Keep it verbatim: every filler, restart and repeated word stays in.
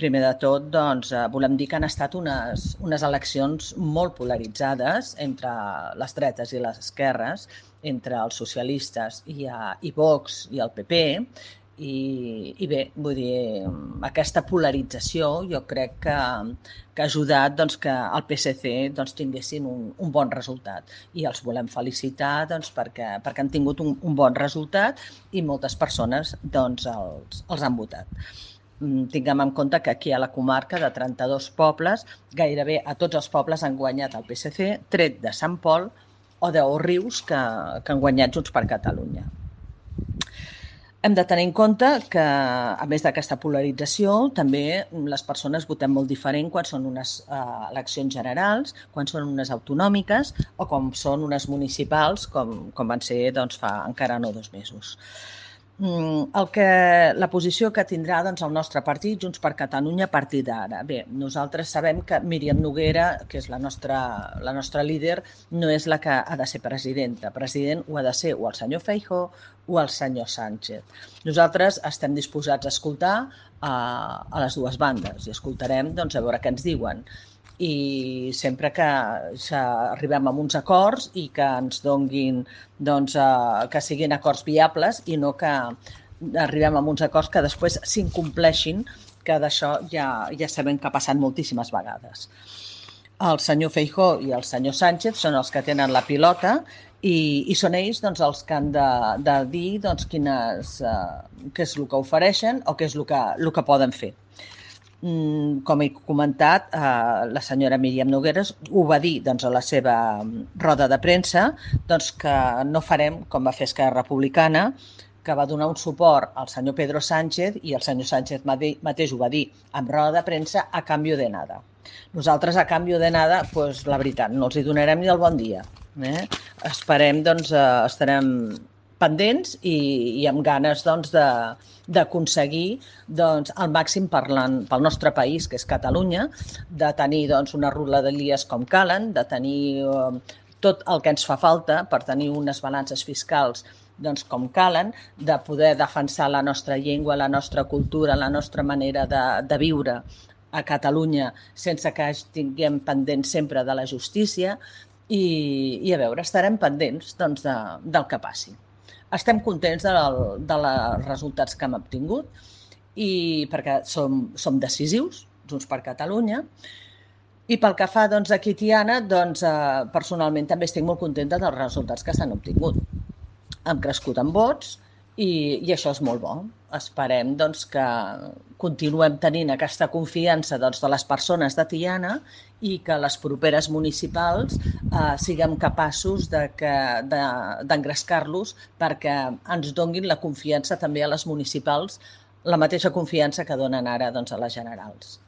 Primer de tot, doncs, eh, volem dir que han estat unes, unes eleccions molt polaritzades entre les dretes i les esquerres, entre els socialistes i, a, i Vox i el P P, i, i bé, vull dir, aquesta polarització jo crec que, que ha ajudat doncs, que el P S C doncs, tinguessin un, un bon resultat. I els volem felicitar doncs, perquè, perquè han tingut un, un bon resultat i moltes persones doncs, els, els han votat. Tinguem en compte que aquí a la comarca de trenta-dos pobles, gairebé a tots els pobles han guanyat el P S C, tret de Sant Pol o d'Òrrius, que, que han guanyat Junts per Catalunya. Hem de tenir en compte que, a més d'aquesta polarització, també les persones votem molt diferent quan són unes eh, eleccions generals, quan són unes autonòmiques o com són unes municipals, com, com van ser doncs, fa encara no dos mesos. El que, la posició que tindrà doncs, el nostre partit, Junts per Catalunya, a partir d'ara. Bé, nosaltres sabem que Míriam Noguera, que és la nostra, la nostra líder, no és la que ha de ser presidenta. President ho ha de ser o el senyor Feijóo o el senyor Sánchez. Nosaltres estem disposats a escoltar a, a les dues bandes i escoltarem doncs, a veure què ens diuen. I sempre que arribem a uns acords i que ens donguin, doncs, eh, que siguin acords viables i no que arribem a uns acords que després s'incompleixin, que d'això ja, ja sabem que ha passat moltíssimes vegades. El senyor Feijóo i el senyor Sánchez són els que tenen la pilota i, i són ells doncs, els que han de, de dir doncs, quines, eh, què és el que ofereixen o què és el que, el que poden fer. Com he comentat, eh, la senyora Míriam Nogueras ho va dir doncs, a la seva roda de premsa, doncs, que no farem com va fer Esquerra Republicana, que va donar un suport al senyor Pedro Sánchez i el senyor Sánchez mateix ho va dir en roda de premsa a canvi de nada. Nosaltres a canvi de nada, doncs, la veritat, no els hi donarem ni el bon dia. Eh? Esperem, doncs, eh, estarem pendents i, i amb ganes doncs, de, d'aconseguir doncs, el màxim parlant pel nostre país, que és Catalunya, de tenir doncs, unes rodalies com calen, de tenir eh, tot el que ens fa falta per tenir unes balances fiscals doncs, com calen, de poder defensar la nostra llengua, la nostra cultura, la nostra manera de, de viure a Catalunya sense que tinguem pendent sempre de la justícia i, i a veure, estarem pendents doncs, de, del que passi. Estem contents dels de els resultats que hem obtingut i perquè som, som decisius, Junts per Catalunya. I pel que fa doncs, aquí a Tiana, doncs, eh, personalment també estic molt contenta dels resultats que s'han obtingut. Hem crescut en vots i, i això és molt bo. Esperem doncs, que continuem tenint aquesta confiança doncs, de les persones de Tiana i que les properes municipals eh, siguem capaços de que, de, d'engrescar-los perquè ens donguin la confiança també a les municipals, la mateixa confiança que donen ara doncs, a les generals.